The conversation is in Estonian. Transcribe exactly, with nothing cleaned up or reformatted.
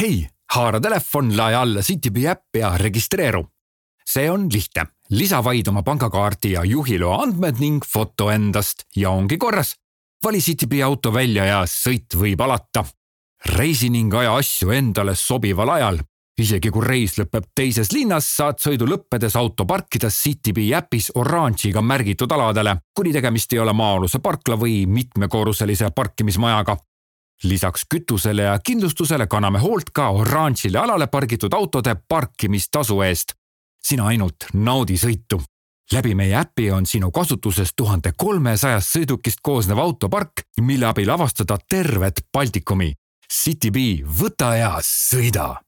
Hei, haara telefon, lae alla CityBee äpp ja registreeru. See on lihtne. Lisa vaid oma pangakaardi ja juhiloa andmed ning foto endast ja ongi korras. Vali CityBee auto välja ja sõit võib alata. Reisi ning aja asju endale sobival ajal. Isegi kui reis lõpeb teises linnas, saad sõidu lõppedes auto parkida CityBee äpis oranžiga märgitud aladele, kuni tegemist ei ole maa-aluse parkla või mitmekorruselise parkimismajaga. Lisaks kütusele ja kindlustusele kanname hoolt ka oranžile alale pargitud autode parkimistasu eest. Sina ainult naudi sõitu. Läbi meie äpi on sinu kasutuses tuhat kolmesaja sõidukist koosnev autopark, mille abil avastada tervet Baltikumi. CityBee, võta ja sõida!